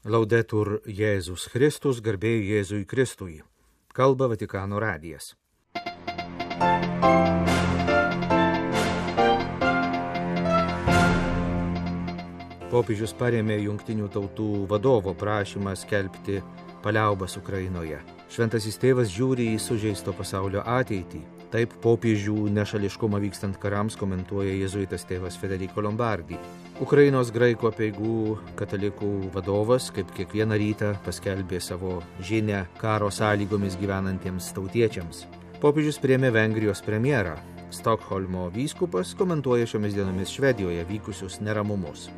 Laudetur Jėzus Kristus, garbė Jėzui Kristui. Kalba Vatikano radijas. Popiežius parėmė Jungtinių tautų vadovo prašymą skelbti paliaubas Ukrainoje. Šventasis tėvas žiūri į sužeisto pasaulio ateitį. Taip popiežių nešališkumą vykstant karams komentuoja jėzuitas tėvas Federico Lombardi. Ukrainos graikų apeigų katalikų vadovas, kaip kiekvieną rytą, paskelbė savo žinią karo sąlygomis gyvenantiems tautiečiams. Popiežius priėmė Vengrijos premjerą. Stokholmo vyskupas komentuoja šiomis dienomis Švedijoje vykusius neramumus.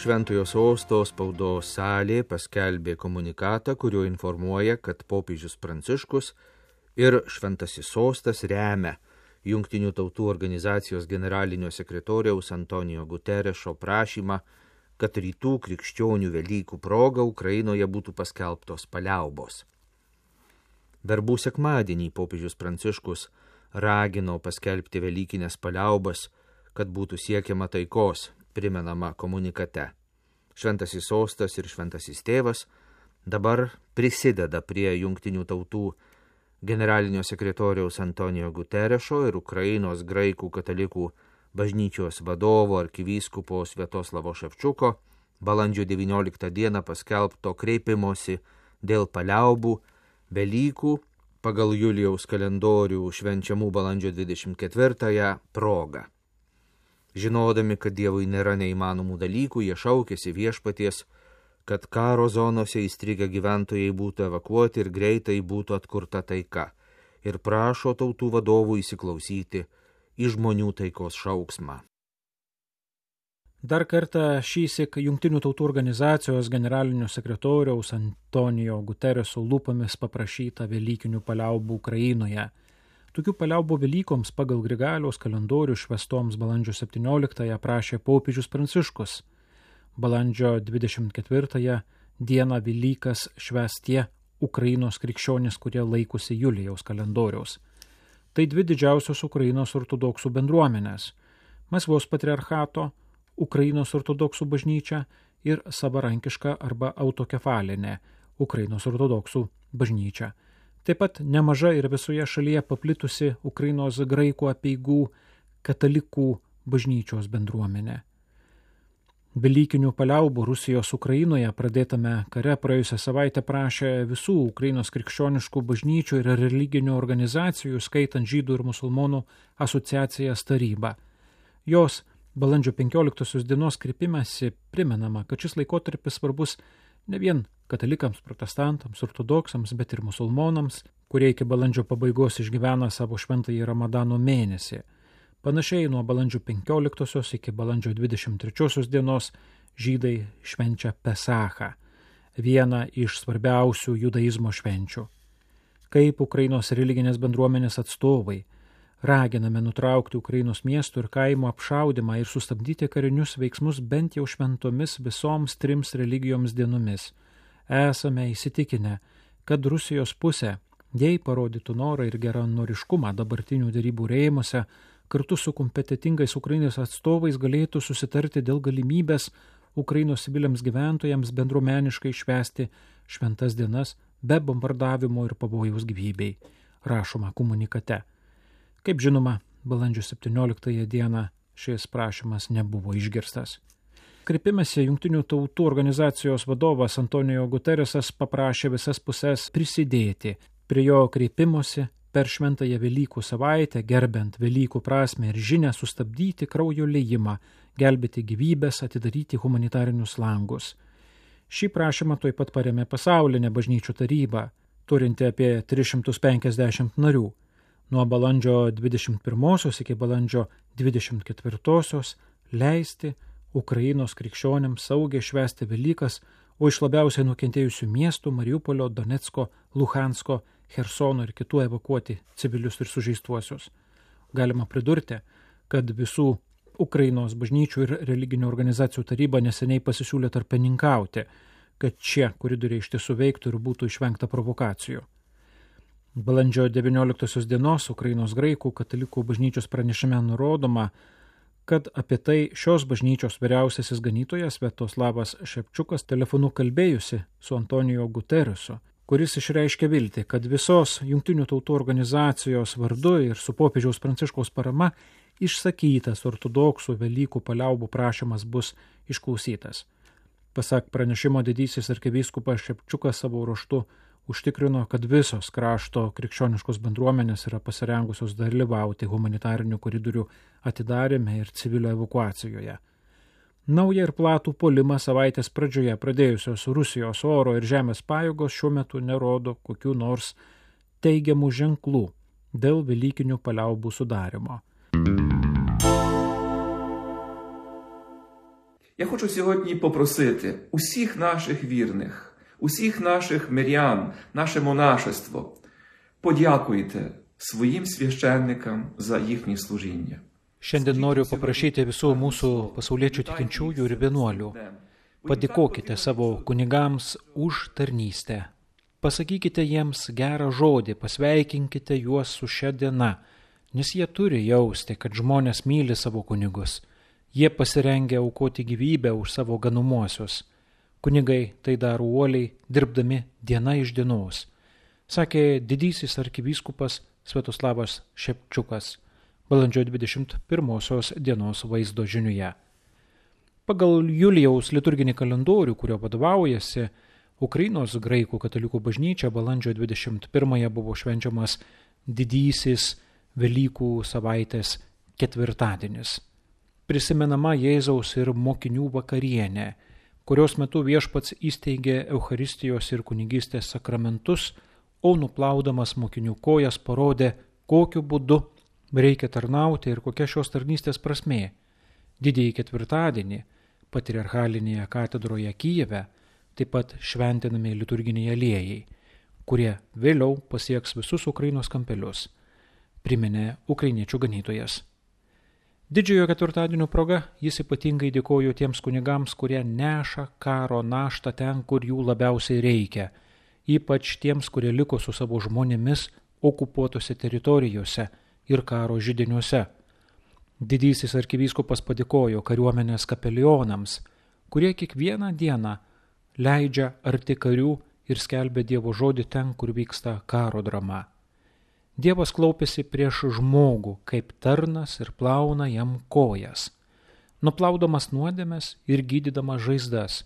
Šventojo sosto spaudos salė paskelbė komunikatą, kuriuo informuoja, kad popiežius Pranciškus ir Šventasis sostas remia Jungtinių tautų organizacijos generalinio sekretoriaus Antonijo Guterešo prašymą, kad rytų krikščionių Velykų proga Ukrainoje būtų paskelbtos paliaubos. Verbų sekmadienį popiežius Pranciškus ragino paskelbti velykinės paliaubas, kad būtų siekiama taikos, primenama komunikate. Šventasis sostas ir Šventasis tėvas dabar prisideda prie Jungtinių tautų generalinio sekretoriaus Antonijo Guterešo ir Ukrainos graikų katalikų bažnyčios vadovo arkivyskupo Sviatoslavo Ševčiuko balandžio 19 dieną paskelbto kreipimosi dėl paliaubų Velykų pagal Julijaus kalendorių švenčiamų balandžio 24 proga. Žinodami, kad Dievui nėra neįmanomų dalykų, jie šaukėsi viešpaties, kad karo zonose įstrigę gyventojai būtų evakuoti ir greitai būtų atkurta taika, ir prašo tautų vadovų įsiklausyti į žmonių taikos šauksmą. Dar kartą šįsyk Jungtinių tautų organizacijos generalinio sekretoriaus Antonijo Gutereso lūpomis paprašyta velykinių paliaubų Ukrainoje. Tokių paliaubų Velykoms pagal Grigaliaus kalendorių švęstoms balandžio 17 prašė popiežius Pranciškus. Balandžio 24 dieną Velykas švęs tie Ukrainos krikščionys, kurie laikosi Julijaus kalendoriaus. Tai dvi didžiausios Ukrainos ortodoksų bendruomenės – Maskvos patriarchato, Ukrainos ortodoksų bažnyčia ir savarankiška arba autokefalinė Ukrainos ortodoksų bažnyčia. Taip pat nemaža ir visoje šalyje paplitusi Ukrainos graikų apeigų katalikų bažnyčios bendruomenė. Velykinių paliaubų Rusijos Ukrainoje pradėtame kare praėjusią savaitę prašė visų Ukrainos krikščioniškų bažnyčių ir religinių organizacijų, skaitant žydų ir musulmonų asociacijas Taryba. Jos balandžio 15 dienos kreipimesi primenama, kad šis laikotarpis svarbus ne vien katalikams, protestantams, ortodoksams, bet ir musulmonams, kurie iki balandžio pabaigos išgyvena savo šventąjį Ramadano mėnesį. Panašiai nuo balandžio 15 iki balandžio 23 dienos žydai švenčia Pesachą, vieną iš svarbiausių judaizmo švenčių. Kaip Ukrainos religinės bendruomenės atstovai raginame nutraukti Ukrainos miestų ir kaimo apšaudymą ir sustabdyti karinius veiksmus bent jau šventomis visoms 3 religijoms dienomis. Esame įsitikinę, kad Rusijos pusė, jei parodytų norą ir geranoriškumą dabartinių derybų rėmuose, kartu su kompetitingais Ukrainos atstovais galėtų susitarti dėl galimybės Ukrainos civiliams gyventojams bendruomeniškai švęsti šventas dienas be bombardavimo ir pavojaus gyvybei, rašoma komunikate. Kaip žinoma, balandžio 17 dieną šis prašymas nebuvo išgirstas. Kreipimėsi Jungtinių tautų organizacijos vadovas Antonijo Guteresas paprašė visas puses prisidėti prie jo kreipimosi per šventąją Velykų savaitę, gerbent Velykų prasmę ir žinią sustabdyti kraujo liejimą, gelbėti gyvybės, atidaryti humanitarinius langus. Šį prašymą taip pat parėmė pasaulinė bažnyčių taryba, turinti apie 350 narių. Nuo balandžio 21 iki balandžio 24 leisti Ukrainos krikščionėms saugiai švęsti Velykas, o iš labiausiai nukentėjusių miestų Mariupolio, Donecko, Luhansko, Chersono ir kitų evakuoti civilius ir sužeistuosius. Galima pridurti, kad visų Ukrainos bažnyčių ir religinių organizacijų taryba neseniai pasisiūlė tarpininkauti, kad šie koridoriai iš tiesų veiktų ir būtų išvengta provokacijų. Balandžio 19 dienos Ukrainos graikų katalikų bažnyčios pranešime nurodoma, kad apie tai šios bažnyčios vyriausiasis ganytojas Sviatoslavas Šepčiukas telefonu kalbėjusi su Antonijo Guteriusu, kuris išreiškė viltį, kad visos Jungtinių tautų organizacijos vardu ir su popiežiaus Pranciškaus parama išsakytas ortodoksų Velykų paliaubų prašymas bus išklausytas. Pasak pranešimo, didysis arkivyskupas Šepčiukas savo ruožtu užtikrino, kad visos krašto krikščioniškos bendruomenės yra pasirengusios dalyvauti humanitarinių koridorių atidarime ir civilio evakuacijoje. Naują ir platų puolimą savaitės pradžioje pradėjusios Rusijos oro ir žemės pajėgos šiuo metu nerodo kokių nors teigiamų ženklų dėl velykinių paliaubų sudarimo. Я хочу сьогодні попросити усіх наших вірних, усіх наших мирян, наше монашество, подякуйте своїм священникам за їхнє служіння. Šiandien noriu paprašyti visų mūsų pasauliečių tikinčiųjų ir vienuolių. Padėkokite savo kunigams už tarnystę. Pasakykite jiems gerą žodį, pasveikinkite juos su šia diena, nes jie turi jausti, kad žmonės myli savo kunigus. Jie pasirengia aukoti gyvybę už savo ganumuosius. Kunigai tai daro uoliai, dirbdami diena iš dienos, sakė didysis arkivyskupas Sviatoslavas Šepčiukas balandžio 21 dienos vaizdo žiniuje. Pagal Julijaus liturginį kalendorių, kurio vadovaujasi, Ukrainos graikų katalikų bažnyčia balandžio 21 buvo švenčiamas didysis Velykų savaitės ketvirtadienis. Prisimenama Jėzaus ir mokinių vakarienė, kurios metu viešpats įsteigė Eucharistijos ir kunigystės sakramentus, o nuplaudamas mokinių kojas parodė, kokiu būdu reikia tarnauti ir kokia šios tarnystės prasmė. Didįjį ketvirtadienį patriarchalinėje katedroje Kijeve taip pat šventinami liturginiai aliejai, kurie vėliau pasieks visus Ukrainos kampelius, priminė ukrainiečių ganytojas. Didžiojo ketvirtadienio proga jis ypatingai dėkojo tiems kunigams, kurie neša karo naštą ten, kur jų labiausiai reikia, ypač tiems, kurie liko su savo žmonėmis okupuotose teritorijose ir karo židiniuose. Didysis arkivyskupas padėkojo kariuomenės kapelionams, kurie kiekvieną dieną leidžia arti karių ir skelbia Dievo žodį ten, kur vyksta karo drama. Dievas klaupėsi prieš žmogų kaip tarnas ir plauna jam kojas, nuplaudamas nuodėmes ir gydydamas žaizdas.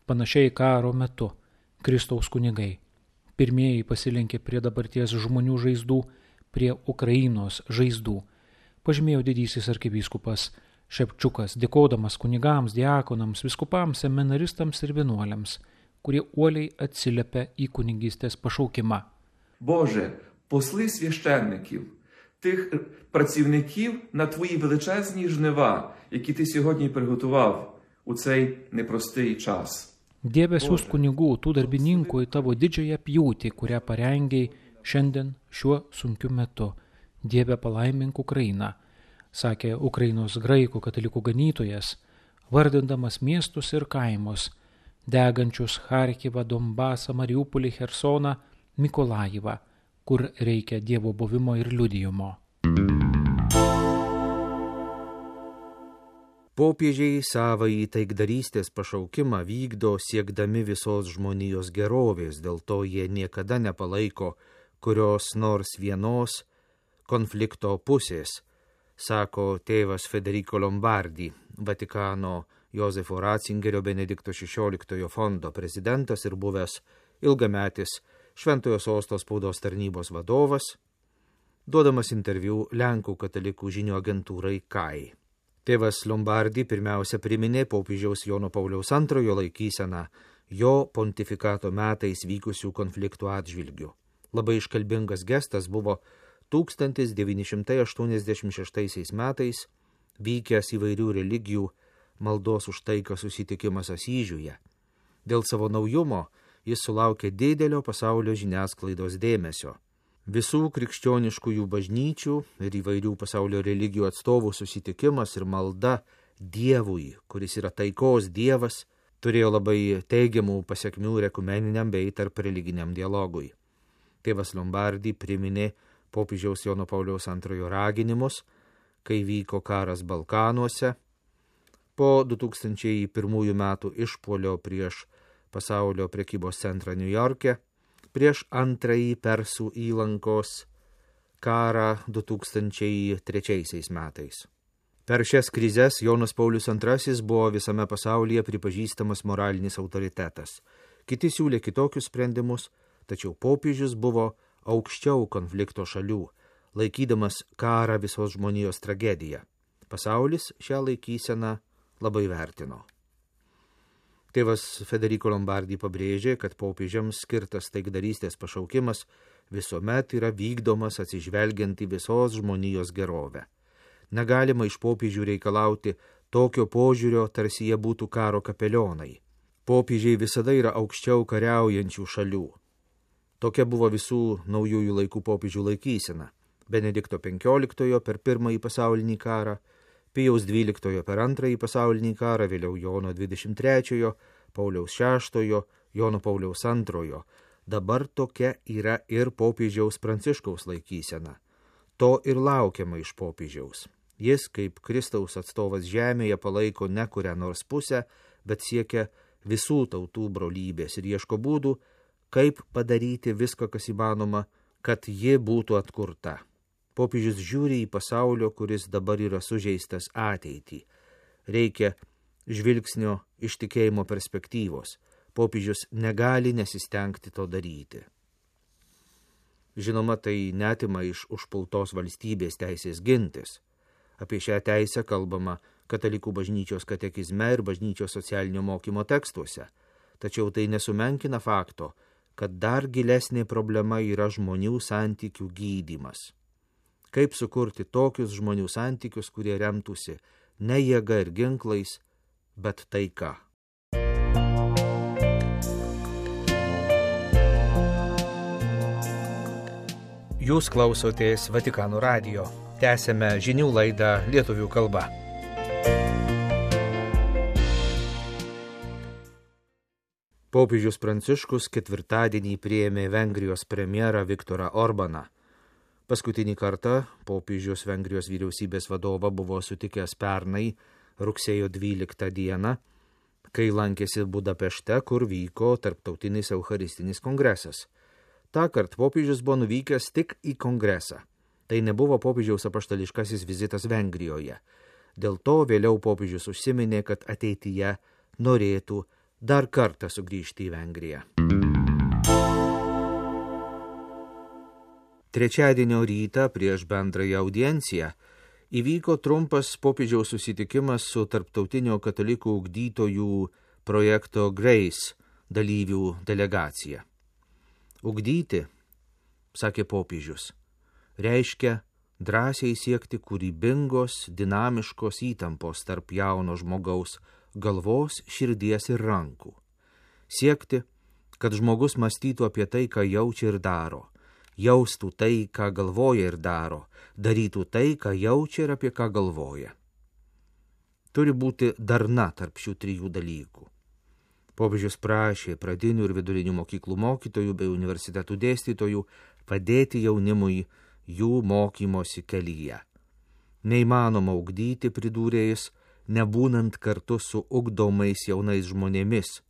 Panašiai karo metu Kristaus kunigai pirmieji pasilenkė prie dabarties žmonių žaizdų, prie Ukrainos žaizdų, pažymėjo didysis arkivyskupas Šepčiukas, dėkodamas kunigams, diakonams, viskupams, seminaristams ir vienuoliams, kurie uoliai atsiliepia į kunigystės pašaukimą. Боже, посли священників, тих працівників на твої величезні жнива, які ти сьогодні приготував у цей непростий час. Dieve, siųsk kunigų, tų darbininkų į tavo didžiąją pjūtį, kurią parengiai šiandien šiuo sunkiu metu. Dieve, palaimink Ukrainą, sakė Ukrainos graikų katalikų ganytojas, vardindamas miestus ir kaimus, degančius Charkivą, Donbasą, Mariupolį, Chersoną, Mikolajivą, kur reikia Dievo buvimo ir liudijimo. Popiežiai savąjį taikdarystės pašaukimą vykdo siekdami visos žmonijos gerovės, dėl to jie niekada nepalaiko kurios nors vienos konflikto pusės, sako tėvas Federico Lombardi, Vatikano Jozefo Ratzingerio Benedikto XVI fondo prezidentas ir buvęs ilgametis Šventojo Sosto spaudos tarnybos vadovas, duodamas interviu Lenkų katalikų žinių agentūrai KAI. Tėvas Lombardi pirmiausia priminė popiežiaus Jono Pauliaus II laikyseną jo pontifikato metais vykusių konfliktų atžvilgių. Labai iškalbingas gestas buvo 1986 metais vykęs įvairių religijų maldos už taiką susitikimas Asyžiuje. Dėl savo naujumo jis sulaukė didelio pasaulio žiniasklaidos dėmesio. Visų krikščioniškųjų bažnyčių ir įvairių pasaulio religijų atstovų susitikimas ir malda Dievui, kuris yra taikos Dievas, turėjo labai teigiamų pasekmių ir ekumeniniam bei tarp religiniam dialogui. Tėvas Lombardi priminė popiežiaus Jono Pauliaus II raginimus, kai vyko karas Balkanuose, po 2001 metų išpuolio prieš pasaulio prekybos centrą Niujorke, prieš antrąjį Persų įlankos karą 2003 metais. Per šias krizes Jonas Paulius II buvo visame pasaulyje pripažįstamas moralinis autoritetas. Kiti siūlė kitokius sprendimus, tačiau popiežius buvo aukščiau konflikto šalių, laikydamas karą visos žmonijos tragediją. Pasaulis šią laikyseną labai vertino. Tėvas Federico Lombardi pabrėžė, kad popiežiams skirtas taikdarystės pašaukimas visuomet yra vykdomas atsižvelgiant į visos žmonijos gerovę. Negalima iš popiežių reikalauti tokio požiūrio, tarsi jie būtų karo kapelionai. Popiežiai visada yra aukščiau kariaujančių šalių. Tokia buvo visų naujųjų laikų popiežių laikysena. Benedikto XV per Pirmąjį pasaulinį karą, Pijaus XII per Antrąjį pasaulinį karą, vėliau Jono XXIII, Pauliaus VI, Jono Pauliaus II. Dabar tokia yra ir popiežiaus Pranciškaus laikysena. To ir laukiama iš popiežiaus. Jis, kaip Kristaus atstovas žemėje, palaiko ne kurią nors pusę, bet siekia visų tautų brolybės ir ieško būdų, kaip padaryti viską, kas įmanoma, kad ji būtų atkurta. Popiežius žiūri į pasaulio, kuris dabar yra sužeistas, ateitį. Reikia žvilgsnio iš tikėjimo perspektyvos. Popiežius negali nesistengti to daryti. Žinoma, tai netima iš užpultos valstybės teisės gintis. Apie šią teisę kalbama Katalikų bažnyčios katekizme ir bažnyčios socialinio mokymo tekstuose. Tačiau tai nesumenkina fakto, kad dar gilesnė problema yra žmonių santykių gydymas. Kaip sukurti tokius žmonių santykius, kurie remtųsi ne jėga ir ginklais, bet taika. Jūs klausotės Vatikano radijo. Tęsiame žinių laidą lietuvių kalba. Popiežius Pranciškus ketvirtadienį priėmė Vengrijos premjerą Viktorą Orbaną. Paskutinį kartą popiežius Vengrijos vyriausybės vadovą buvo sutikęs pernai rugsėjo 12 dieną, kai lankėsi Budapešte, kur vyko tarptautinis eucharistinis kongresas. Tąkart popiežius buvo nuvykęs tik į kongresą. Tai nebuvo popiežiaus apaštališkasis vizitas Vengrijoje. Dėl to vėliau popiežius užsiminė, kad ateityje norėtų dar kartą sugrįžti į Vengriją. Trečiadienio rytą prieš bendrąją audienciją įvyko trumpas popiežiaus susitikimas su tarptautinio katalikų ugdytojų projekto Grace dalyvių delegacija. Ugdyti, sakė popiežius, reiškia drąsiai siekti kūrybingos, dinamiškos įtampos tarp jauno žmogaus galvos, širdies ir rankų. Siekti, kad žmogus mąstytų apie tai, ką jaučia ir daro. Jaustų tai, ką galvoja ir daro, darytų tai, ką jaučia ir apie ką galvoja. Turi būti darna tarp šių trijų dalykų. Popiežius prašė pradinių ir vidurinių mokyklų mokytojų bei universitetų dėstytojų padėti jaunimui jų mokymosi kelyje. Neįmanoma ugdyti, pridūrė jis, nebūnant kartu su ugdomais jaunais žmonėmis,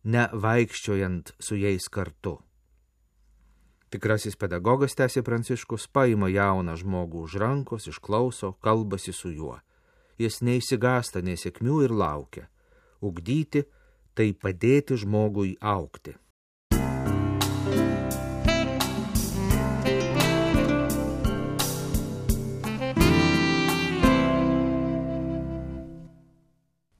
nevaikščiojant su jais kartu. Tikrasis pedagogas, tęsė Pranciškus, paima jauną žmogų už rankos, išklauso, kalbasi su juo. Jis neišsigąsta nesėkmių ir laukia. Ugdyti tai padėti žmogui augti.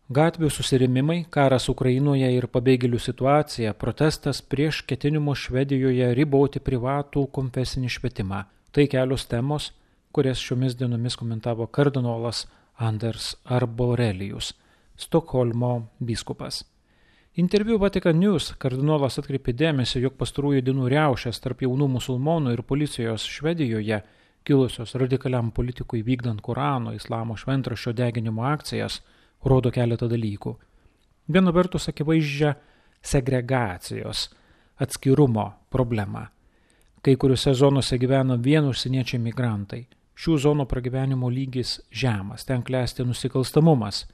Gatvių susirėmimai, karas Ukrainoje ir pabėgėlių situacija, protestas prieš ketinimus Švedijoje riboti privatų konfesinį švietimą. Tai kelios temos, kurias šiomis dienomis komentavo kardinolas Anders Arborelius, Stokholmo vyskupas. Interviu Vatican News kardinolas atkreipė dėmesį, jog pastarųjų dienų riaušės tarp jaunų musulmonų ir policijos Švedijoje, kilusios radikaliam politikui vykdant Korano, islamo šventraščio deginimo akcijas, rodo keletą dalykų. Viena vertus akivaizdžią segregacijos, atskirumo problemą. Kai kuriuose zonose gyvena vien užsieniečiai migrantai. Šių zonų pragyvenimo lygis žemas, ten klesti nusikalstamumas.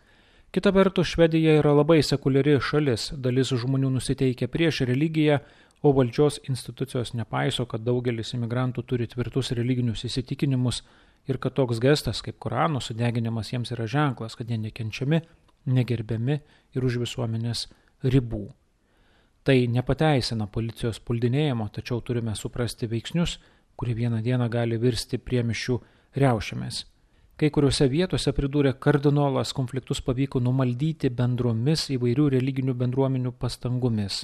Kita vertus, Švedija yra labai sekuliari šalis, dalis žmonių nusiteikia prieš religiją, o valdžios institucijos nepaiso, kad daugelis imigrantų turi tvirtus religinius įsitikinimus ir kad toks gestas kaip Korano sudeginimas jiems yra ženklas, kad jie nekenčiami, negerbiami ir už visuomenės ribų. Tai nepateisina policijos puldinėjimo, tačiau turime suprasti veiksnius, kurie vieną dieną gali virsti priemiščių riaušėmis. Kai kuriuose vietose, pridūrė kardinolas, konfliktus pavyko numaldyti bendromis įvairių religinių bendruomenių pastangomis.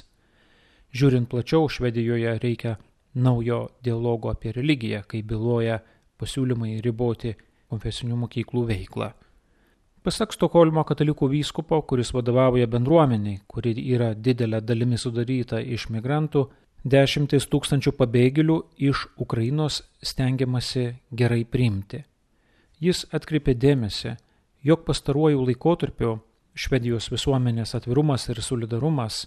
Žiūrint plačiau, Švedijoje reikia naujo dialogo apie religiją, kai byloja pasiūlymai riboti konfesinių mokyklų veiklą. Pasak Stokholmo katalikų vyskupo, kuris vadovauja bendruomeniai, kuri yra didelė dalimi sudaryta iš migrantų, 10 000 pabėgėlių iš Ukrainos stengiamasi gerai priimti. Jis atkreipė dėmesį, jog pastaruoju laikotarpiu Švedijos visuomenės atvirumas ir solidarumas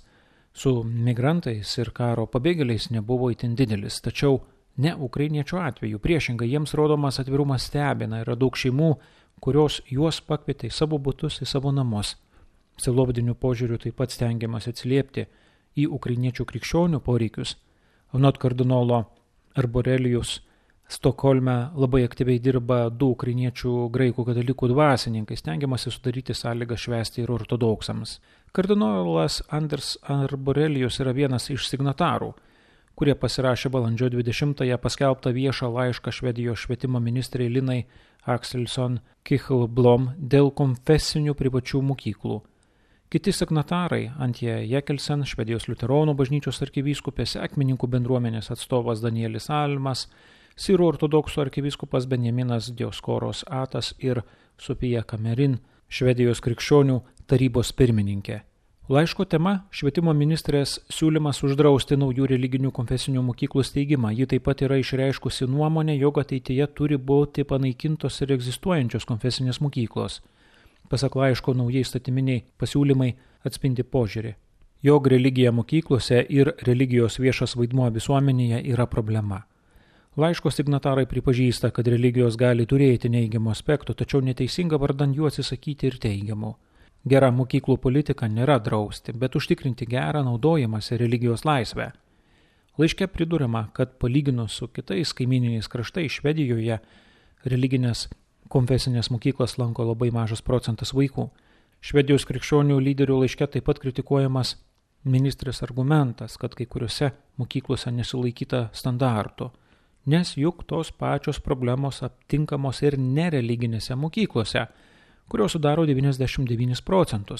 su migrantais ir karo pabėgėliais nebuvo itin didelis, tačiau ne ukrainiečių atveju. Priešingai, jiems rodomas atvirumas stebina, yra daug šeimų, kurios juos pakvietė į savo butus, į savo namus. Sielovadiniu požiūriu taip pat stengiamas atsiliepti į ukrainiečių krikščionių poreikius. Anot kardinolo Arborelijus, Stokholme labai aktyviai dirba 2 ukrainiečių graikų katalikų dvasininkai, stengiamasi sudaryti sąlygą švęsti ir ortodoksams. Kardinolas Anders Arborelijus yra vienas iš signatarų, kurie pasirašė balandžio 20-ąją paskelbtą viešą laišką Švedijos švietimo ministrei Linai Axelsson Kichelblom dėl konfesinių privačių mokyklų. Kiti signatarai Antje Jekelsen, Švedijos liuteronų bažnyčios arkivyskupė, sekmininkų bendruomenės atstovas Danielis Almas, Sirų ortodoksų arkivyskupas Benjaminas Dioskoros Atas ir Sofija Kamerin, Švedijos krikščionių tarybos pirmininkė. Laiško tema – švietimo ministrės siūlymas uždrausti naujų religinių konfesinių mokyklų steigimą. Ji taip pat yra išreiškusi nuomonę, jog ateityje turi būti panaikintos ir egzistuojančios konfesinės mokyklos. Pasak laiško, naujai statyminiai pasiūlymai atspindi požiūrį, jog religija mokyklose ir religijos viešas vaidmuo visuomenėje yra problema. Laiško signatarai pripažįsta, kad religijos gali turėti neigiamų aspektų, tačiau neteisinga vardan jų atsisakyti ir teigiamų. Gera mokyklų politika nėra drausti, bet užtikrinti gerą naudojimąsi religijos laisvę. Laiške priduriama, kad palyginus su kitais kaimyniniais kraštais Švedijoje religinės konfesinės mokyklas lanko labai mažas procentas vaikų. Švedijos krikščionių lyderių laiške taip pat kritikuojamas ministrės argumentas, kad kai kuriuose mokyklose nesilaikyta standartų, nes juk tos pačios problemos aptinkamos ir nereliginėse mokyklose, kurios sudaro 99%.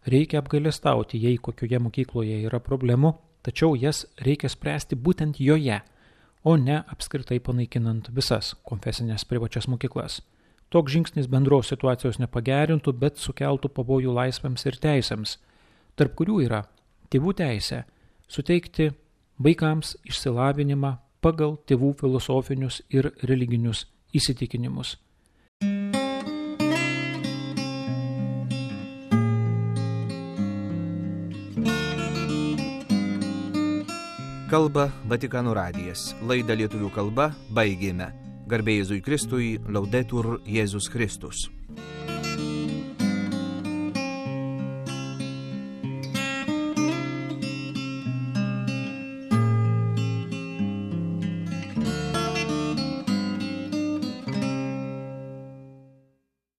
Reikia apgailestauti, jei kokioje mokykloje yra problemų, tačiau jas reikia spręsti būtent joje, o ne apskritai panaikinant visas konfesinės privačias mokyklas. Toks žingsnis bendros situacijos nepagerintų, bet sukeltų pavojų laisvėms ir teisėms, tarp kurių yra tėvų teisė suteikti vaikams išsilavinimą pagal tėvų filosofinius ir religinius įsitikinimus. Kalba Vatikano radijas. Laidą lietuvių kalba baigėme. Garbė Jėzui Kristui, Laudetur Jėzus Kristus.